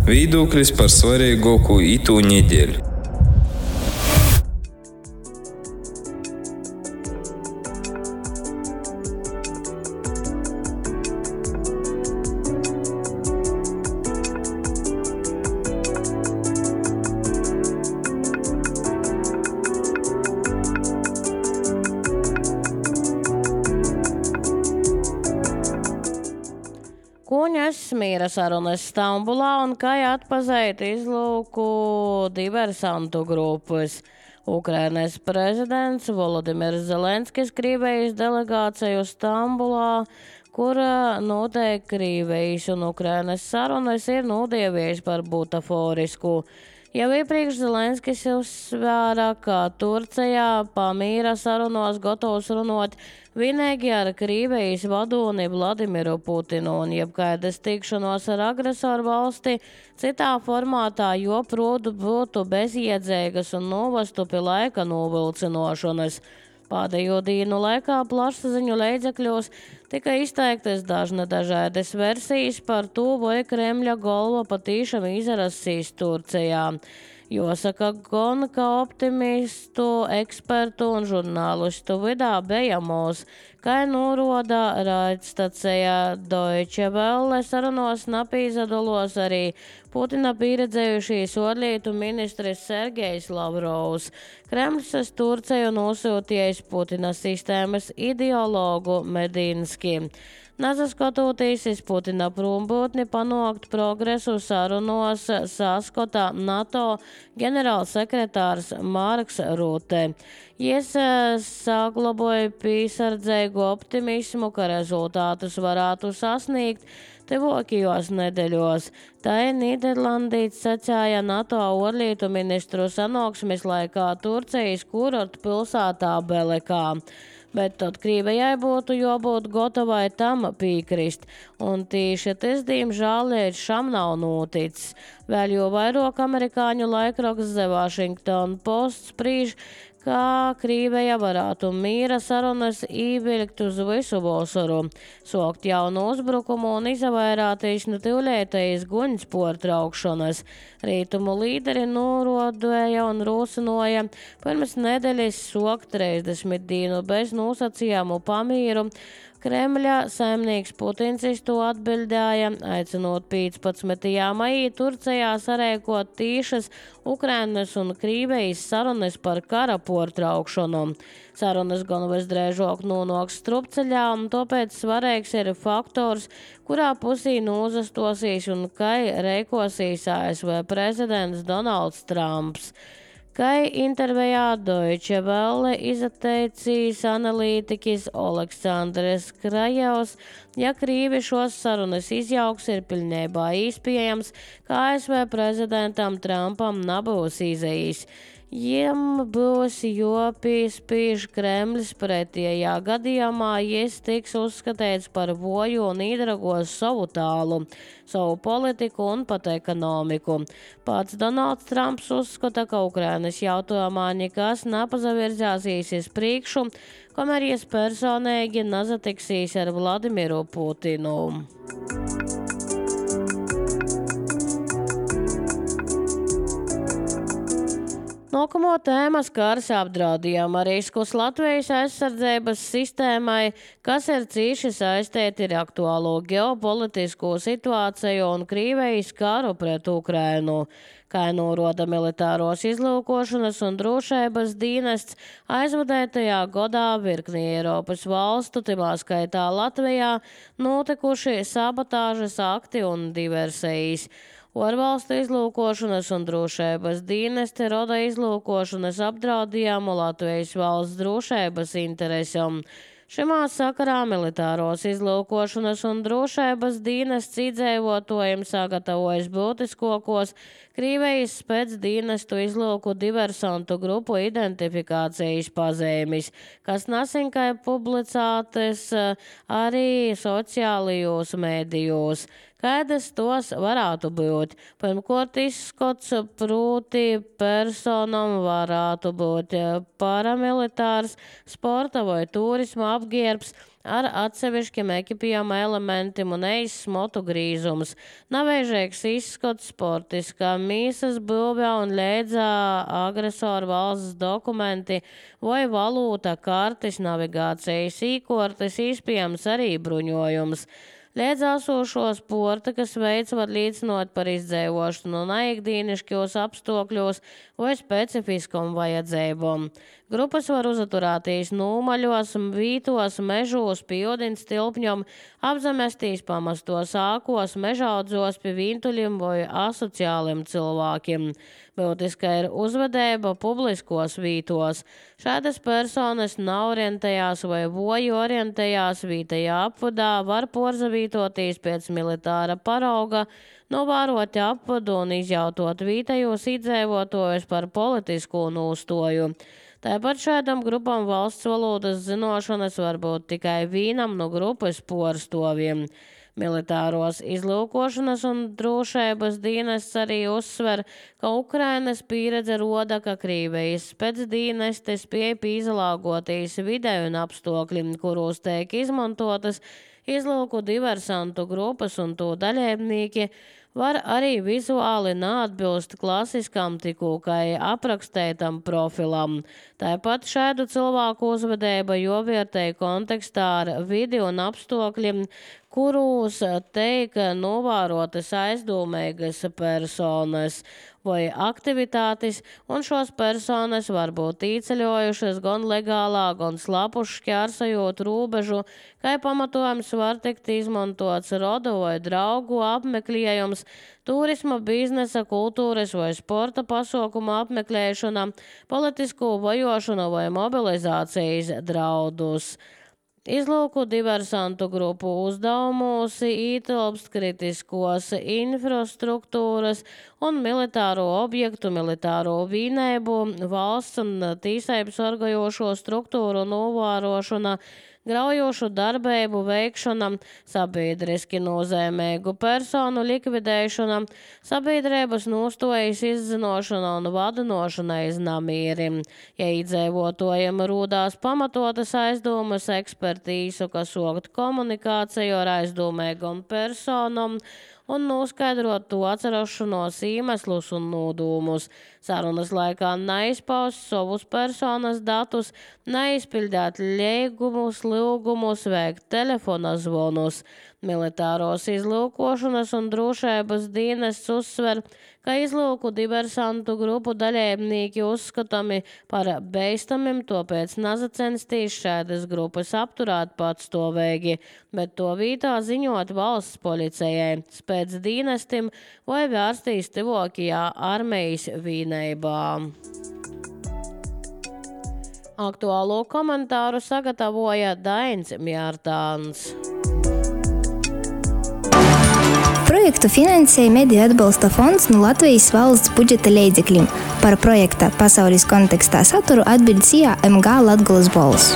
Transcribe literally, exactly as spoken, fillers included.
Viedoklis par svarīgāko itū nedēļu. Kuņas miera sarunas Stambulā un kā atpazīt izlūku diversantu grupas. Ukrainas prezidents Volodimirs Zelenskis Krievijas delegāciju Stambulā, kura notiek Krievijas un Ukrainas sarunas, ir nodievies par butaforisku. Jau iepriekš Zelenskis uzsvēra, ka Turcijā pamīra sarunos gatavs runot vienīgi ar Krievijas vadoni Vladimiru Putinu un jebkaidas tikšanos ar agresoru valsti citā formātā joprot būtu bezjēdzīgas un novestu pie laika novilcinošanas. Pēdējo dienu laikā plašsaziņu līdzekļos tika izteiktas dažna dažādas versijas par to, vai Kremļa galva patīšām izrasīs Turcijā. Jāsaka, gan ka optimistu, ekspertu un žurnālistu vidā bijamos, kā norāda raidstacija Deutsche Welle, sarunos napīzadulos arī Putina pieredzējušīs ārlietu ministrs Sergejs Lavrovs. Kremlis uz Turciju nosūtījis Putina sistēmas ideologu Medinski. Nesaskatoties uz Putina prombūtni panākt progresu sarunos, saskata NATO ģenerālsekretārs Marks Rute. Jis saglaboja piesardzīgu optimismu, ka rezultātus varētu sasniegt tuvākajos nedēļos. Tā ir Nīderlandīts sacīja NATO ārlietu ministru sanāksmes laikā Turcijas kurortu pilsētā Belekā. Bet tad Krievijai būtu jābūt gatavai tam piekrist, un tieši tas, diemžēl, līdz šam nav noticis. Vēl jo vairāk amerikāņu laikraksts The Washington Post sprīž, kā Krievija varētu miera sarunas ievilkt uz visu vasaru, sokt jaunu uzbrukumu un izvairīties no tūlētējas guņas pārtraukšanas. Rītumu līderi norādīja un rosināja pirms nedēļas sokt trīsdesmit dienu bez nosacījumu pamīru. Kremļa saimnieks Putins to atbildēja, aicinot piecpadsmitajā maijā Turcijā sarēkot tīšas Ukrainas un Krievijas sarunas par kara pārtraukšanu. Sarunas gan visdrīzāk nonāks strupceļā, un tāpēc svarīgs ir faktors, kurā pusī nozastosīs un kā rēkosīs A S V prezidents Donalds Trumps. Kā intervijā Deutsche Welle izteicis analītiķis Aleksandrs Krajevs, ja Krievi šos sarunas izjauks, ir pilnībā iespējams, ka A S V prezidentam Trumpam nebūs izējis. Jiem būs jāpiespiež Kremlis pretējā gadījumā, jis tiks uzskatīts par voju un īdragos savu tālu, savu politiku un pat ekonomiku. Pats Donalds Trumps uzskata, ka Ukrainas jautājumā nekas nepazavirzāsīs uz priekšu, kamēr jis personīgi nezatiksīs ar Vladimiru Putinu. Nākamo tēma skars apdraudījumu riskus Latvijas aizsardzības sistēmai, kas ir cīši saistīti ar aktuālo ģeopolitisko situāciju un Krievijas karu pret Ukrainu. Kā norāda militāros izlūkošanas un drošības dienests, aizvadētajā gadā virknī Eiropas valstu, timā skaitā Latvijā, notikuši sabotāžas akti un diversijas. Ārvalstu izlūkošanas un drošības dienesti roda izlūkošanas apdraudījumu Latvijas valsts drošības interesam. Šimā sakarā militāros izlūkošanas un drošības dienests iedzīvotājiem sagatavojas būtiskākos Krievijas spēcdienestu izlūku diversantu grupu identifikācijas pazīmes, kas nesenkai publicētas arī sociālajos mēdījos. Kādas tos varētu būt? Pirmkārt, izskats proti personam varētu būt paramilitārs, sporta vai turisma apģērbs, ar atsevišķiem ekipējuma elementiem un ejas smotu grīzums, navēžīgs izskats, sportiskā mīsas būvē un lēdzā agresoru valsts dokumenti vai valūta, kartes, navigācijas īkortes, izpējams arī bruņojums. Liedzāsošo sporta, kas veids var līdzinot par izdzēvošanu no neikdīniškos apstākļos vai specifiskam vajadzībom. Grupas var uzaturētīs nūmaļos, vītos, mežos, pie ūdens tilpņom, apzemestīs pamastos ākos, mežaudzos pie vīntuļiem vai asociāliem cilvēkiem. Būtiska ir uzvedība publiskos vītos. Šādas personas nav orientējās vai voju orientējās vītajā apvadā, var porzavītoties pēc militāra parauga, novārot apvadu un izjautot vītajos iedzēvotojus par politisku nūstoju. Tāpat šādam grupam valsts valodas zinošanas var būt tikai vīnam no grupas porstoviem. Militāros izlūkošanas un drošības dienests arī uzsver, ka Ukrainas pieredze roda, ka Krīvijas spēcdīnesti spēj pīzalāgotīs vidēju un apstākļi, kuros tiek izmantotas izlūku diversantu grupas un to daļēbnīki, var arī vizuāli neatbilst klasiskam tikūkai aprakstētam profilam. Tāpat šādu cilvēku uzvedība jovērtēja kontekstā ar vidi un apstākļiem, kurus teik novērotas aizdomīgas personas vai aktivitātes, un šos personas var būt īceļojušas gan legālā, gan slapuši šķērsojot rūbežu, kā pamatojums var tikt izmantots rodu vai draugu apmeklējums, turisma, biznesa, kultūras vai sporta pasākumu apmeklēšana, politisku vajošanu vai mobilizācijas draudus. Izlūku diversantu grupu uzdevumos ietilpst kritiskos infrastruktūras un militāro objektu, militāro vienību, valsts un tīsības sargājošo struktūru novērošana, graujošu darbību veikšana, sabiedriski nozīmīgu personu likvidēšana, sabiedrības nostojas izzinošana un vadinošana aiz namīrim. Ja iedzīvotājiem rūdās pamatotas aizdomas, ekspertīzu, kas sokt komunikāciju ar aizdomīgām personām un noskaidrot to atcerošanos iemeslus un nodūmus. Sarunas laikā neizpaust savus personas datus, neizpildīt līgumus, lūgumus, veikt telefona zvonus. Militāros izlūkošanas un drošības dienests uzsver, ka izlūku diversantu grupu daļēbnīki uzskatami par beistamiem, tāpēc nazacensties šādas grupas apturēt patstāvīgi, bet to vītā ziņot valsts policijai, spēc dienestim vai vērstīs tivokajā armijas vienībā. Aktuālo komentāru sagatavoja Dainis Mjārtāns. Projektu finansēja Mediju atbalsta fonds no Latvijas valsts budžeta līdzekļiem. Par projekta pasaules kontekstā saturu atbild S I A M G Latgolas balss.